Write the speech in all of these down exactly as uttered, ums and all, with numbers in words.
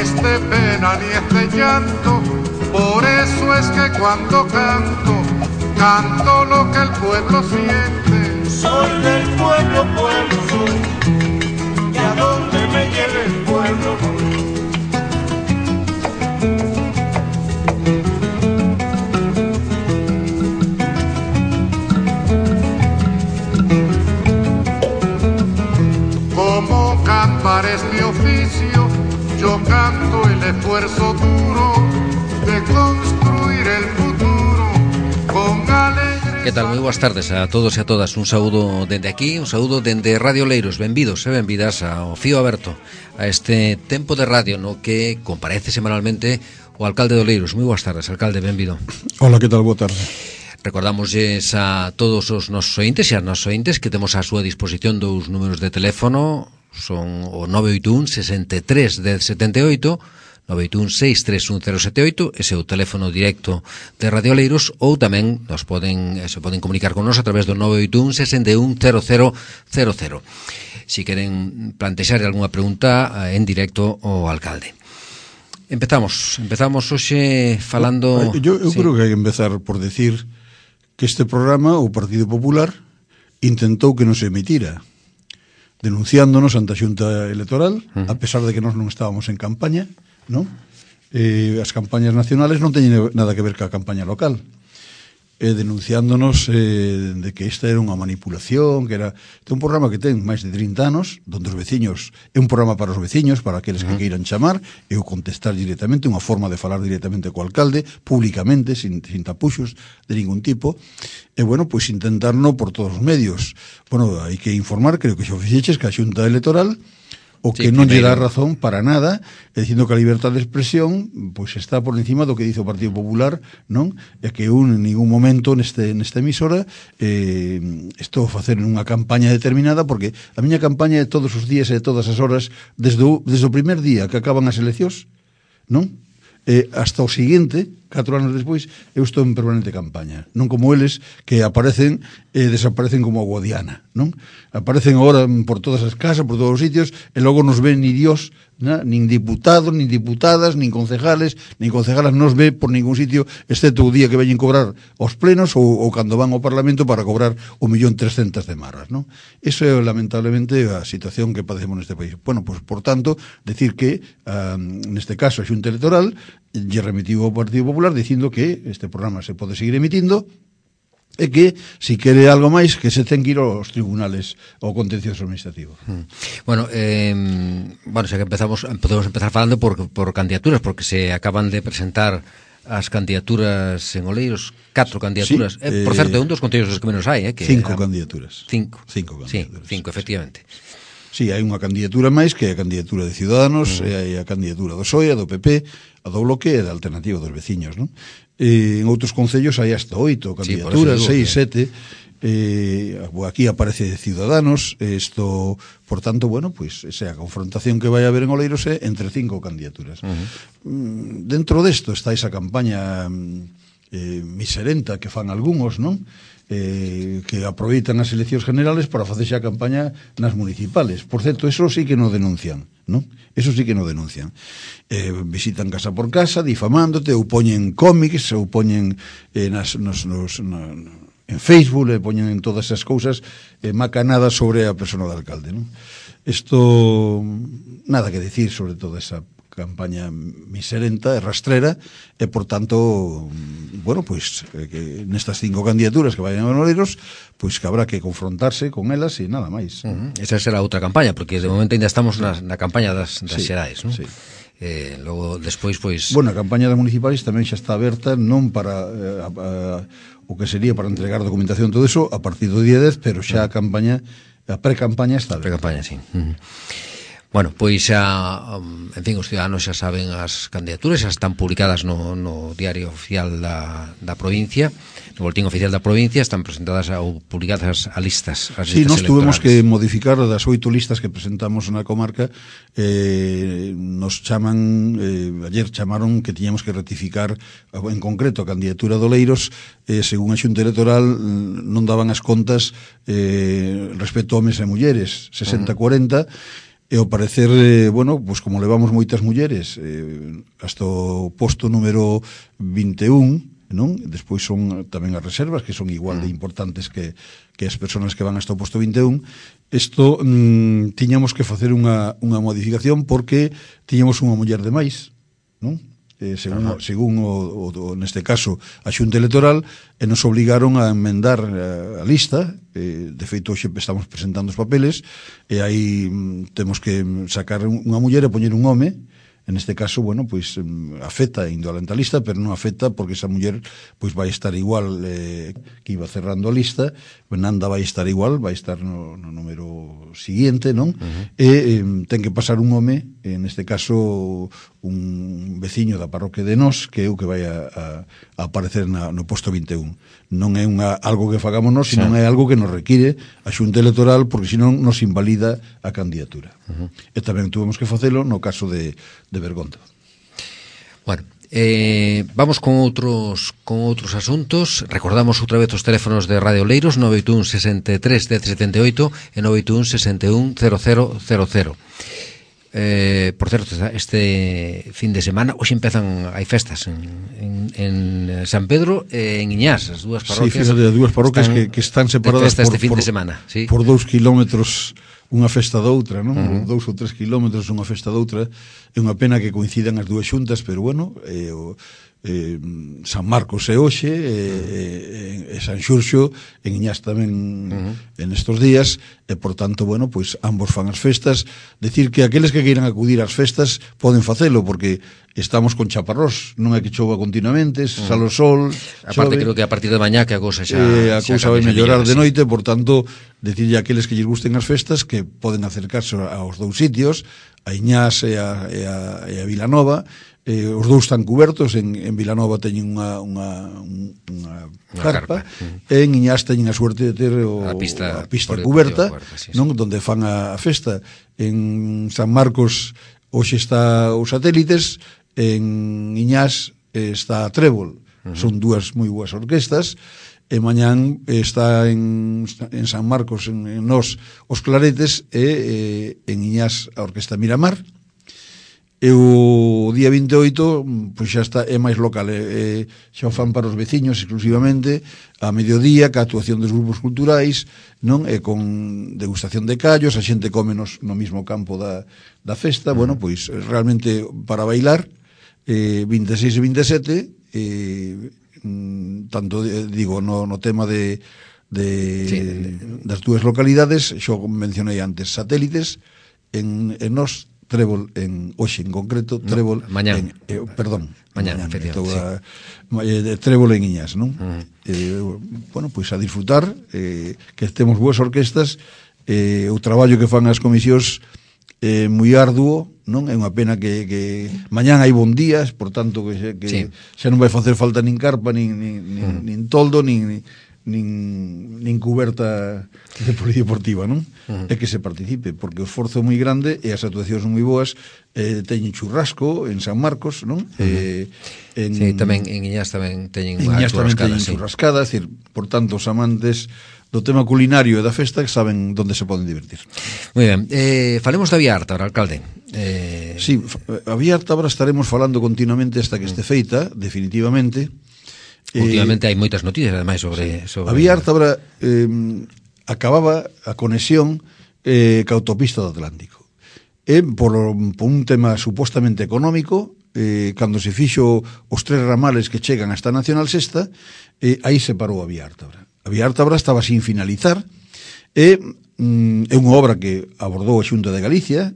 es de pena ni es de llanto, por eso es que cuando canto, canto lo que el pueblo siente. Soy del pueblo, pueblo soy, y a donde me lleve el pueblo voy. Como cantar es mi oficio, yo canto el esfuerzo duro de construir el futuro con alegre. Que tal? Moi boas tardes a todos e a todas. Un saúdo dende aquí, un saúdo dende Radio Oleiros. Benvidos e benvidas ao Fío Aberto, a este tempo de radio no que comparece semanalmente o alcalde de Oleiros. Moi boas tardes, alcalde, benvido. Hola, que tal? Boa tarde. Recordamosles a todos os nosos ointes e as nosos ointes que temos á súa disposición dous números de teléfono. Son o nove oito un, sesenta e tres, dez setenta e oito, nove oito un, seis tres un, cero sete oito, ese é o teléfono directo de Radio Oleiros, ou tamén nos poden, se poden comunicar con nos a través do nove oito un, sesenta e un, cero cero cero cero. Si queren plantexar algunha pregunta en directo ao alcalde. Empezamos, empezamos hoxe falando... Yo, eu sí. creo que hai que empezar por decir que este programa, o Partido Popular, intentou que non se emitira, denunciándonos ante a Xunta Electoral, uh-huh. a pesar de que nós non estábamos en campaña, non? Eh, as campañas nacionales non teñen nada que ver ca campaña local. Eh, denunciándonos eh, de que esta era unha manipulación, que era este un programa que ten máis de trinta anos, donde os veciños, é un programa para os veciños, para aqueles que uh-huh. queiran chamar, e o contestar directamente, unha forma de falar directamente co alcalde, públicamente, sin, sin tapuxos de ningún tipo, e bueno, pois pues, intentarno por todos os medios. Bueno, hai que informar, creo que xa fixeches, que a Xunta Electoral o que sí, non lle dá razón para nada, é dicindo que a libertade de expresión pois pues, está por encima do que dice o Partido Popular, non? É que un en ningún momento neste nesta emisora eh, estou a facer unha campaña determinada, porque a miña campaña é todos os días e todas as horas desde o, desde o primer día que acaban as eleccións, non? Eh, hasta o seguinte, catro anos despois, eu estou en permanente campaña. Non como eles que aparecen e eh, desaparecen como a Guadiana, non? Aparecen agora por todas as casas, por todos os sitios, e logo nos ven ni Dios, na? Nin diputados, nin diputadas, nin concejales, nin concejalas nos ve por ningún sitio, excepto o día que veñen cobrar os plenos ou, ou cando van ao Parlamento para cobrar o millón trescentas de marras, non? Eso é lamentablemente a situación que padecemos neste país. Bueno, pues por tanto, decir que uh, neste caso a Xunta Electoral lle remitiu ao Partido Popular dicindo que este programa se pode seguir emitindo e que, si quere algo máis, que se ten que ir aos tribunales ao contencioso administrativo. Hmm. Bueno, eh, bueno, xa que empezamos, podemos empezar falando por, por candidaturas, porque se acaban de presentar as candidaturas en Oleiros, catro candidaturas. Sí, eh, por certo, é un dos concellos que menos hai, eh, que cinco eran, candidaturas. Cinco. Cinco candidaturas. Sí, cinco, efectivamente. Sí, hai unha candidatura máis, que é a candidatura de Ciudadanos, uh-huh. e hai a candidatura do P S O E, a do P P, a do Bloque e da Alternativa dos Veciños, non? E en outros concellos hai hasta oito candidaturas, sí, seis, sete. Eh, aquí aparece Ciudadanos, isto, por tanto, bueno, pois pues, esa confrontación que vai haber en Oleiros é entre cinco candidaturas. Uh-huh. Dentro desto está esa campaña eh, miserenta que fan algúns, non? Eh, que aproveitan as eleccións generales para facerse a campaña nas municipales. Por certo, eso sí que non denuncian, non? Eso sí que non denuncian. Eh, visitan casa por casa, difamándote, ou poñen cómics, ou poñen eh, nas, nos, nos, na, en Facebook, e poñen en todas esas cousas eh, macanadas sobre a persona do alcalde, non? Isto, nada que decir sobre toda esa campaña miserenta e rastrera, e por tanto, bueno, pois pues, que nestas cinco candidaturas que vayan a Oleiros, pois pues, que habrá que confrontarse con elas e nada máis. Uh-huh. Esa será outra campaña, porque de momento ainda estamos na, na campaña das, das sí, xerais, non? Sí. Eh, logo, despois, pois... Bueno, a campaña das municipais tamén xa está aberta, non para eh, a, a, o que sería para entregar documentación, todo eso, a partir do día dez, pero xa a campaña, a pre-campaña está aberta. Pre-campaña, sí. Uh-huh. Bueno, pois xa, en fin, os ciudadanos xa saben as candidaturas, xa están publicadas no, no diario oficial da, da provincia, no boletín oficial da provincia, están presentadas ou publicadas as listas, as sí, listas nos tuvemos que modificar das oito listas que presentamos na comarca, eh, nos chaman, eh, ayer chamaron que tiñamos que rectificar, en concreto, a candidatura de Oleiros, eh, según a Xunta Electoral, non daban as contas eh, respecto a homes e mulleres, sesenta a cuarenta, e ao parecer, eh, bueno, pues como levamos moitas mulleres eh, hasta o posto número vinte e un, non? Despois son tamén as reservas, que son igual de importantes que, que as persoas que van hasta o posto vinte e un. Isto mm, tiñamos que facer unha, unha modificación porque tiñamos unha muller de máis, non? Eh, según, según o, o, o, neste caso a Xunta Electoral, e nos obligaron a enmendar a, a lista. Eh, de feito, hoxe estamos presentando os papeles e aí mm, temos que sacar unha muller e poñer un home. En este caso, bueno, pois afecta indo a lista, pero non afecta porque esa muller pois vai estar igual eh, que iba cerrando a lista, Nanda vai estar igual, vai estar no, no número siguiente, non? Uh-huh. E eh, ten que pasar un home, en este caso un veciño da parroquia de Nós, que é o que vai a, a, a aparecer na, no posto vinte e un. Non é unha, algo que fagamos nós, sino sí. É algo que nos require a Xunta Electoral, porque senón nos invalida a candidatura. Uh-huh. E tamén tuvemos que facelo no caso de, de Bergonda. Bueno, eh, vamos con outros con outros asuntos. Recordamos outra vez os teléfonos de Radio Oleiros, nove oito un, sesenta e tres, dez setenta e oito e nove oito un, sesenta e un, cero cero cero cero. Eh, por certo, este fin de semana hoxe empezan, hai festas en, en, en San Pedro e en Iñás, as dúas parroquias. Sí, fíjate, as dúas parroquias que, que están separadas por, este fin por, de semana, sí. por dous kilómetros unha festa doutra, non? Uh-huh. Dous ou tres kilómetros unha festa doutra. É unha pena que coincidan as dúas xuntas, pero bueno, eh, o, eh, San Marcos é hoxe, e, e, e San Xurxo en Iñás tamén uh-huh. en estos días, e por tanto, bueno, pois ambos fan as festas. Decir que aqueles que queiran acudir ás festas poden facelo, porque estamos con chaparrós, non é que chova continuamente, uh-huh. sale o sol, aparte chove, creo que a partir de mañá que a cousa xa eh, a cousa vai mellorar de sí. noite, por tanto, decirlle a aqueles que lles gusten as festas que poden acercarse aos dous sitios, a Iñás e a, e a, e a Vilanova. Eh, os dous están cubertos, en, en Vilanova teñen unha, unha, unha carpa, carpa. Uh-huh. E en Iñás teñen a suerte de ter o, a pista, a pista cuberta, cuberta sí, non? Sí. Donde fan a, a festa. En San Marcos hoxe está os satélites, en Iñás está a Trébol, uh-huh. Son dúas moi boas orquestas, e mañán está en, en San Marcos, en, en Nós, os Claretes, e eh, en Iñás a Orquesta Miramar. E o día vinte e oito pois xa está, é máis local, é, é, xa o fan para os veciños exclusivamente a mediodía, ca actuación dos grupos culturais, non? E con degustación de callos, a xente come nos, no mismo campo da, da festa. Mm. Bueno, pois realmente para bailar, eh, vinte e seis e vinte e sete, eh, tanto digo no, no tema de, de, sí, de das dúas localidades, xo mencionei antes, satélites en, en Nós, Trébol en hoxe en concreto, Trébol no, mañán. En, eh, perdón, mañán, efectivamente. Sí. Trébol en Iñás, non? Uh-huh. Eh, bueno, pois a disfrutar, eh, que temos boas orquestas, eh, o traballo que fan as comisións eh, moi arduo, non? É unha pena que, que mañán hai bon días, por tanto que, que sí. Xa non vai facer falta nin carpa, nin, nin, uh-huh. nin toldo, nin nin, nin cuberta de polideportiva, non? Uh-huh. É que se participe, porque o esforzo é moi grande e as actuacións son moi boas. Eh, teñen churrasco en San Marcos, non? Uh-huh. Eh, en, sí, tamén en Iñás tamén teñen unha Iñás churrascada, tamén teñen sí. churrascada, é dicir, por tanto, os amantes do tema culinario e da festa que saben onde se poden divertir. Moi ben, eh, falemos da Vía Arta, ahora, alcalde. Eh... Sí, a Vía Arta ahora estaremos falando continuamente hasta que este feita, definitivamente. Últimamente eh, hai moitas noticias, ademais, sobre... sobre... A Vía Arta ahora eh, acababa a conexión eh, ca autopista do Atlántico. E por, por un tema supostamente económico, eh, cando se fixo os tres ramales que chegan hasta Nacional Sexta, eh, aí se parou a Vía Arta ahora. A Vía Arta ahora estaba sin finalizar, e mm, é unha obra que abordou a Xunta de Galicia,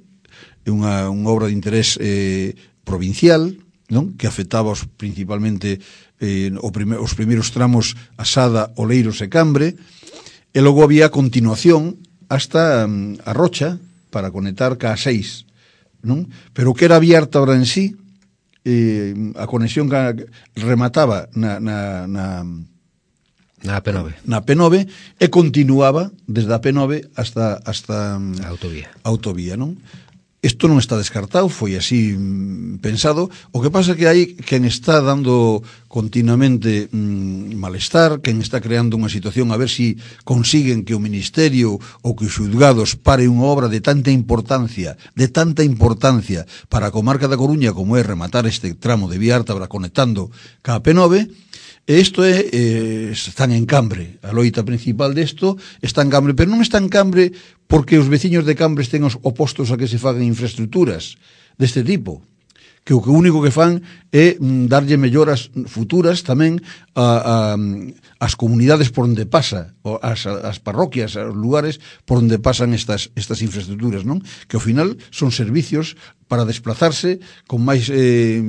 é unha, unha obra de interés eh, provincial, non? Que afectaba os, principalmente eh, o prime, os primeiros tramos a Sada, Oleiros e Cambre, e logo había a continuación hasta um, a Rocha para conectar ca a seis, non? Pero que era abierta ahora en sí, eh, a conexión que remataba na, na, na na P nove na P nove e continuaba desde a P nove hasta hasta a autovía autovía, non? Isto non está descartado, foi así mm, pensado. O que pasa que hai quen está dando continuamente mm, malestar, quen está creando unha situación a ver si consiguen que o Ministerio ou que os xulgados pare unha obra de tanta importancia, de tanta importancia para a comarca da Coruña como é rematar este tramo de Vía Ártabra conectando ca P nove. E isto é, eh, están en Cambre, a loita principal desto está en Cambre, pero non está en Cambre porque os veciños de Cambre estén opostos a que se fagan infraestructuras deste tipo, que o que único que fan é mm, darlle melloras futuras tamén a, a, as comunidades por onde pasa, as, as parroquias, os lugares por onde pasan estas, estas infraestructuras, non? Que ao final son servicios para desplazarse con máis eh,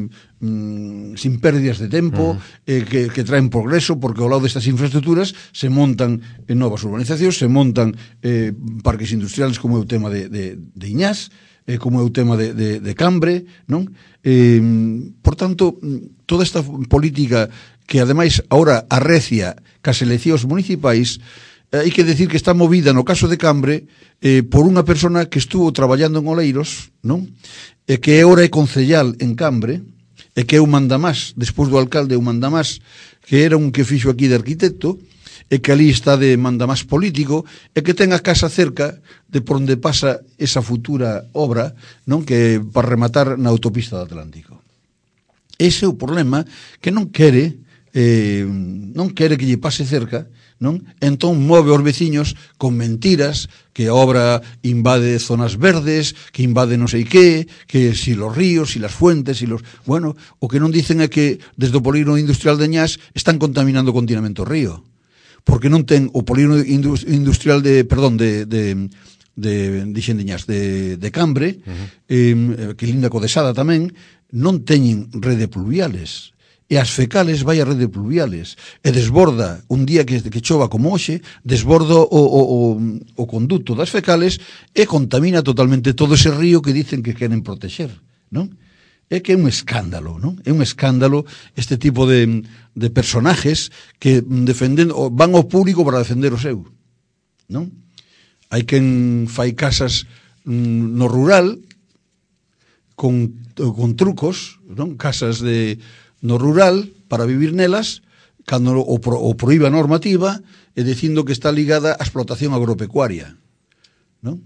mm, sin pérdidas de tempo, uh-huh. eh, que, que traen progreso, porque ao lado destas infraestructuras se montan en novas urbanizacións, se montan eh, parques industriales como é o tema de, de, de Iñás, eh, como é o tema de, de, de Cambre, non? Eh, por tanto, toda esta política que ademais ahora arrecia cas eleccións municipais, eh, hai que decir que está movida no caso de Cambre eh, por unha persona que estuvo traballando en Oleiros, non? E que agora é concellal en Cambre, e que é un mandamás, despois do alcalde, un mandamás que era un que fixo aquí de arquitecto, e que ali está de mandamás político, e que ten a casa cerca de por onde pasa esa futura obra, non, que para rematar na autopista do Atlántico. Ese é o problema, que non quere eh, non quere que lle pase cerca, non? Entón move os veciños con mentiras, que a obra invade zonas verdes, que invade non sei que, que si los ríos, si las fuentes, si los... Bueno, o que non dicen é que desde o polígono industrial de Ñás están contaminando continuamente o río, porque non ten o polígono industrial de, perdón, de... de de, dixen de Ñás, de, de Cambre, uh-huh. eh, que linda Codesada tamén, non teñen rede pluviales. E as fecales vai a rede pluviales e desborda, un día que, que chova como hoxe, desborda o, o, o, o conducto das fecales e contamina totalmente todo ese río que dicen que queren protexer, non? É que é un escándalo, non? É un escándalo este tipo de, de personajes que defenden, van ao público para defender o seu, non? Hai quen fai casas mm, no rural con, con trucos, non? Casas de no rural para vivir nelas cando o, pro, o proíbe a normativa e dicindo que está ligada á explotación agropecuaria, non?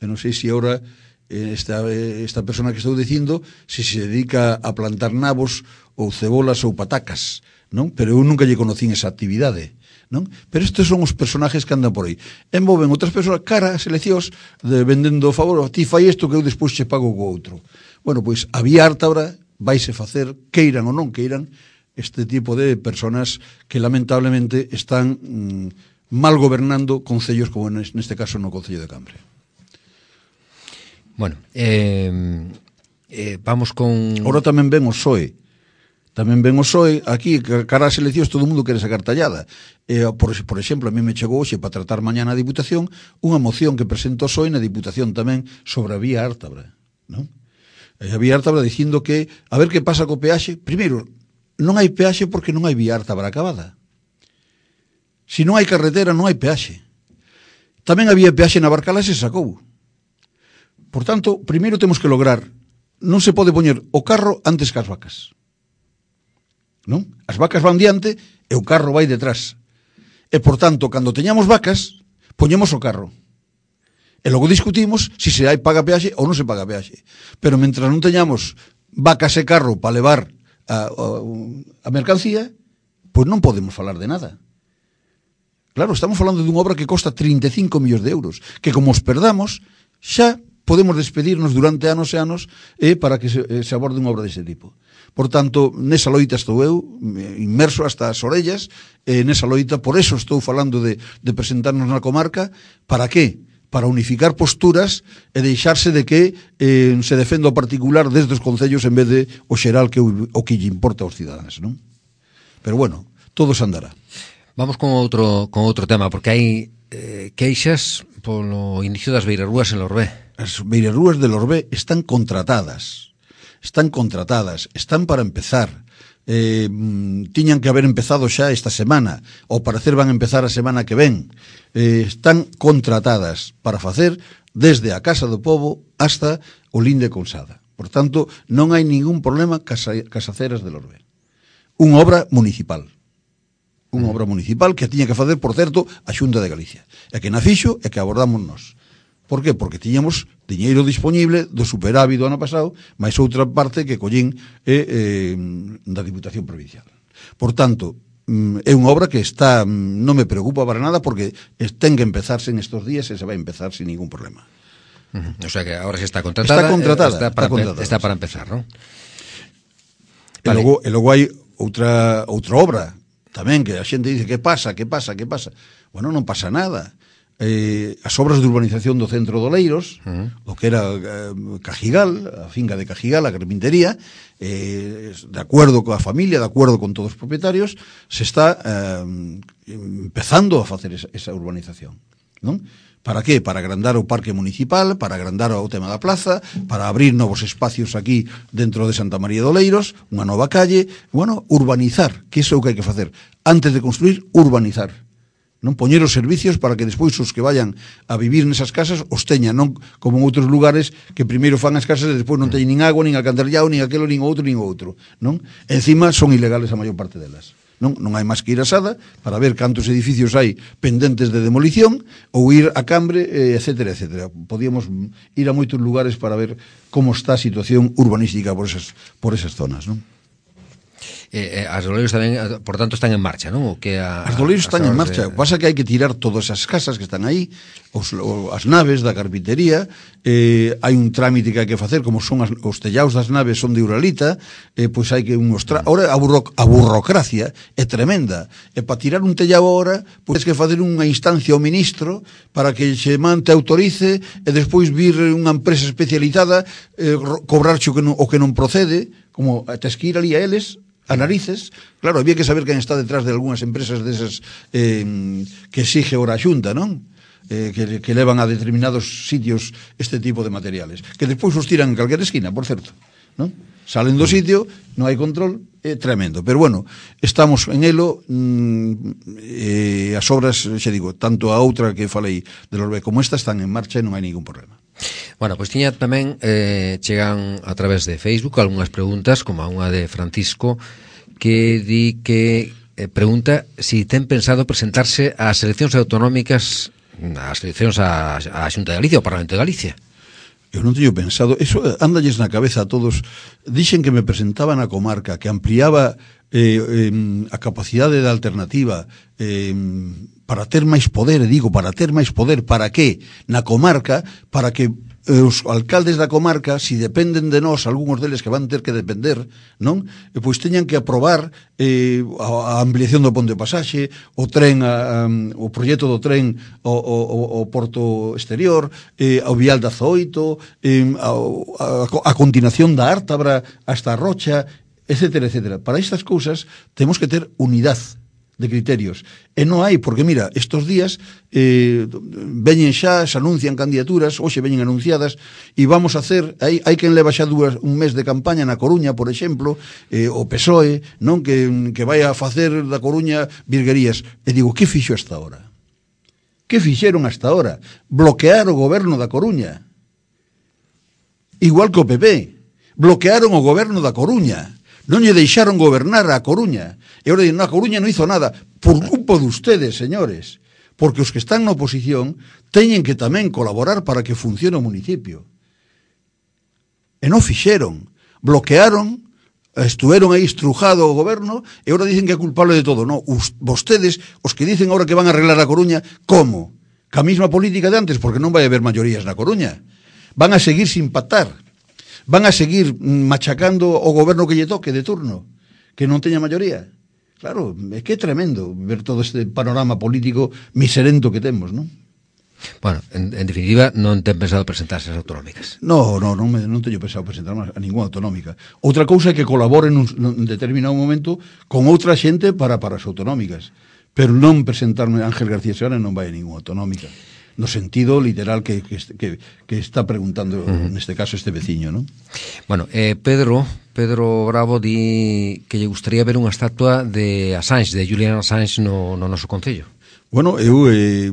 Eu non sei se agora esta, esta persona que estou dicindo se se dedica a plantar nabos ou cebolas ou patacas, non? Pero eu nunca lle conocín esa actividade, non? Pero estes son os personajes que andan por aí. Envolven outras persoas cara as eleccións de vendendo favor, ti fai isto que eu despois che pago co outro. Bueno, pois a Vía Ártabra vaise facer, queiran ou non queiran, este tipo de personas que lamentablemente están mm, mal gobernando concellos como neste caso no Concello de Cambre. Bueno, eh, eh, vamos con... Ahora tamén ven o P S O E. Tamén ven o P S O E aquí, cara ás eleccións todo o mundo quere sacar tallada. Eh, por, por exemplo, a mí me chegou hoxe para tratar mañá na Diputación unha moción que presenta o P S O E na Diputación tamén sobre a Vía Ártabra, non? A Vía Ártabra dicindo que a ver que pasa co peaxe. Primeiro, non hai peaxe porque non hai Vía Ártabra acabada. Se non hai carretera non hai peaxe. Tamén había peaxe na Barcala e se sacou. Por tanto, primeiro temos que lograr, non se pode poñer o carro antes que as vacas, non? As vacas van diante e o carro vai detrás. E por tanto, cando teñamos vacas, poñemos o carro. E logo discutimos se se hai paga peaxe ou non se paga peaxe. Pero mentras non teñamos vacas e carro para levar a, a, a mercancía, pois non podemos falar de nada. Claro, estamos falando dunha obra que costa trinta e cinco millóns de euros, que como os perdamos, xa podemos despedirnos durante anos e anos eh, para que se, eh, se aborde unha obra deste tipo. Por tanto, nesa loita estou eu, inmerso hasta as orellas, eh, nesa loita, por eso estou falando de, de presentarnos na comarca. Para que? Para unificar posturas e deixarse de que eh, se defenda o particular desde os concellos en vez de o xeral que o, o que lle importa aos cidadáns, non? Pero bueno, todo se andará. Vamos con outro con outro tema, porque hai eh, queixas polo inicio das beirarrúas en Lorbé. As beirarrúas de Lorbé están contratadas. Están contratadas, están para empezar. Eh, tiñan que haber empezado xa esta semana, ao parecer van a empezar a semana que ven. Eh, están contratadas para facer desde a Casa do Pobo hasta o Linde Cousada. Por tanto, non hai ningún problema cas Casaceras de Lorbe. Unha obra municipal. Unha obra municipal que tiña que facer, por certo, a Xunta de Galicia. E que na fixo e que abordamos nós. Por que? Porque tiñamos diñeiro disponible do superávit do ano pasado, máis outra parte que collín eh, eh, da Diputación Provincial. Por tanto, é unha obra que está, non me preocupa para nada, porque ten que empezarse en estos días e se vai empezar sin ningún problema. Uh-huh. O sea que ahora se está contratada. Está contratada. Está para, está contratada, está para empezar, ¿no? E vale. logo, e logo hai outra, outra obra tamén que a xente dice, que pasa, que pasa, que pasa? Bueno, non pasa nada. Eh, as obras de urbanización do centro de Oleiros, uh-huh. o que era eh, Cajigal, a finca de Cajigal, a carpintería, eh, de acordo coa familia, de acordo con todos os propietarios, se está eh, empezando a facer esa, esa urbanización, non? Para que? Para agrandar o parque municipal, para agrandar o tema da plaza, para abrir novos espacios aquí dentro de Santa María de Oleiros, unha nova calle, bueno, urbanizar, que iso é o que hai que facer. Antes de construir, urbanizar. Non poñer os servicios para que despois os que vayan a vivir nesas casas os teñan, non como en outros lugares que primeiro fan as casas e despois non teñen nin agua, nin alcantarillado, nin aquelo, nin outro, nin outro, non? Encima son ilegales a maior parte delas. Non, non hai máis que ir a Sada para ver cantos edificios hai pendentes de demolición ou ir a Cambre, eh, etcétera, etcétera. Podíamos ir a moitos lugares para ver como está a situación urbanística por esas, por esas zonas, non? Eh, eh, as de Oleiros tamén, por tanto, están en marcha, non? O que a, as de Oleiros están en marcha. De... Pasa que hai que tirar todas as casas que están aí, os, o, as naves da carpintería, eh, hai un trámite que hai que facer, como son as, os tellaos das naves son de Uralita, eh, pois hai que unos tra... Ora, a, burro, a burrocracia é tremenda. E para tirar un tellao ahora, pois que facer unha instancia ao ministro para que se mante autorice e despois vir unha empresa especializada eh, cobrarche o que non, o que non procede, como tes que ir ali a eles a narices. Claro, había que saber quen está detrás de algunhas empresas desas eh, que exige ora a Xunta, non? Eh, que, que levan a determinados sitios este tipo de materiales, que despois os tiran en calquera esquina, por certo, non? Salen do sitio, non hai control, é tremendo. Pero bueno, estamos en elo, mm, eh, as obras, xa digo, tanto a outra que falei de Lorbe como esta están en marcha e non hai ningún problema. Bueno, pois tiña tamén, eh, chegan a través de Facebook algunhas preguntas, como a unha de Francisco, que di que eh, pregunta si ten pensado presentarse ás eleccións autonómicas, ás eleccións á, á Xunta de Galicia, ao Parlamento de Galicia. Eu non teño pensado, eso ándalles na cabeza a todos. Dixen que me presentaba na comarca, que ampliaba eh, eh, a capacidade da alternativa eh, para ter máis poder, e digo, para ter máis poder, para que? Na comarca, para que os alcaldes da comarca, si dependen de nós, algúns deles que van ter que depender, non? E pois teñan que aprobar eh, a, a ampliación do ponte de pasaxe, o tren, a, a, o proxecto do tren ao, ao, ao porto exterior, eh, ao vial da Zoito, eh, a, a, a continuación da Ártabra hasta a Rocha, etcétera, etcétera. Para estas cousas temos que ter unidade de criterios. E non hai, porque mira, estos días eh, veñen xa, se anuncian candidaturas, hoxe veñen anunciadas, e vamos a hacer, hai, hai quen leva xa dúas, un mes de campaña na Coruña, por exemplo, eh, o P S O E, non, que, que vai a facer da Coruña virguerías. E digo, que fixo hasta ahora? Que fixeron hasta ahora? Bloquear o goberno da Coruña. Igual que o P P. Bloquearon o goberno da Coruña. Non lle deixaron gobernar a Coruña. E agora dicen, no, a Coruña non hizo nada. Por culpa de ustedes, señores. Porque os que están na oposición teñen que tamén colaborar para que funcione o municipio. E non fixeron. Bloquearon, estuveron aí estrujado o goberno, e agora dicen que é culpable de todo. No, us, vostedes, os que dicen agora que van a arreglar a Coruña, como? Ca mesma política de antes, porque non vai haber maiorías na Coruña. Van a seguir sin pactar. Van a seguir machacando o goberno que lle toque de turno, que non teña maioría. Claro, é que é tremendo ver todo este panorama político miserento que temos, non? Bueno, en, en definitiva, non ten pensado presentarse as autonómicas. No, no, non, me, non teño pensado presentarme a ninguna autonómica. Outra cousa é que colaboren nun, nun determinado momento con outra xente para, para as autonómicas. Pero non presentarme Ángel García Seoane non vai a ninguna autonómica. No sentido literal que, que, que, que está preguntando, uh-huh. neste caso, este veciño, non? Bueno, eh, Pedro Pedro Bravo di que lle gustaría ver unha estatua de Assange, de Julian Assange no, no noso concello. Bueno, eu eh,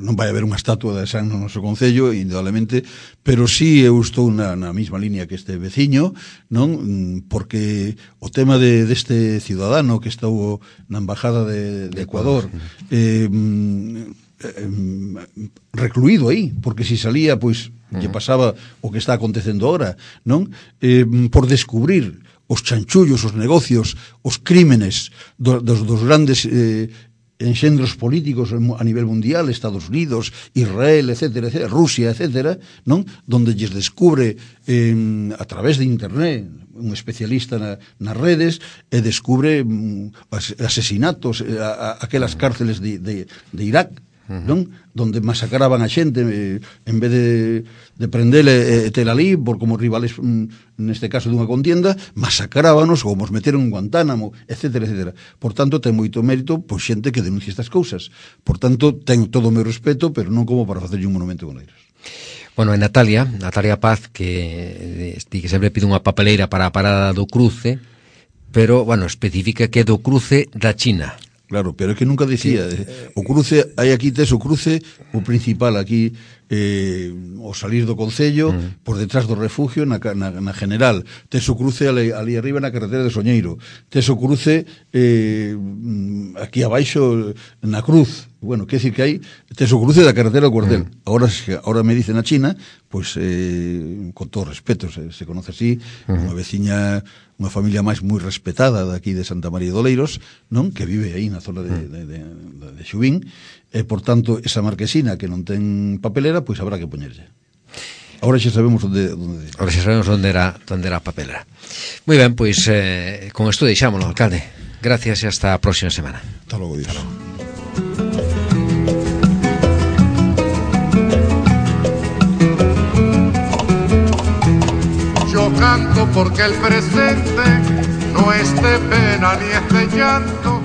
non vai haber unha estatua de San no noso concello, indudablemente, pero sí eu estou na, na mesma línea que este veciño, non? Porque o tema de, deste ciudadano que estou na embajada de, de Ecuador, eh, recluído aí, porque se salía, pois, lle pasaba o que está acontecendo ahora, non? Eh, por descubrir os chanchullos, os negocios, os crímenes do, dos, dos grandes eh, enxendros políticos a nivel mundial, Estados Unidos, Israel, etcétera, etcétera, Rusia, etcétera, non? Donde lles descubre eh, a través de internet un especialista na, nas redes e descubre um, asesinatos a, a aquelas cárceles de, de, de Irak, non? Donde masacraban a xente eh, en vez de, de prendele e eh, tela ali por como rivales mm, neste caso dunha contienda, masacrábanos ou nos meteron en Guantánamo, etcétera, etcétera. Por tanto, ten moito mérito pois xente que denuncia estas cousas. Por tanto, ten todo o meu respeto, pero non como para facerlle un monumento con eles. Bueno, e Natalia, Natalia Paz, que di que sempre pide unha papeleira para a parada do cruce, pero, bueno, especifica que é do cruce da China. Claro, pero é que nunca dicía, sí. O cruce, hai aquí tes o cruce, o principal aquí, eh, o salir do Concello, mm. por detrás do refugio, na, na, na general, tes o cruce ali, ali arriba na carretera de Soñeiro, tes o cruce eh, aquí abaixo na Cruz. Bueno, que decir que hai, tes o cruce da carretera do Cuartel. Mm. Ahora, ahora me dicen a China, pois, eh, con todo respeto, se, se conoce así, mm. unha veciña, unha familia máis moi respetada daqui de Santa María de Oleiros, non? Que vive aí na zona de, de, de, de Xubín, e, por tanto, esa marquesina que non ten papelera, pois habrá que poñerlle. Ahora xa sabemos onde... onde... Ahora xa sabemos onde era, onde era a papelera. Moi ben, pois, eh, con isto deixámoslo, alcalde. Gracias e hasta a próxima semana. Hasta logo, Dios. Hasta logo. Yo canto porque el presente no es de pena ni es de llanto,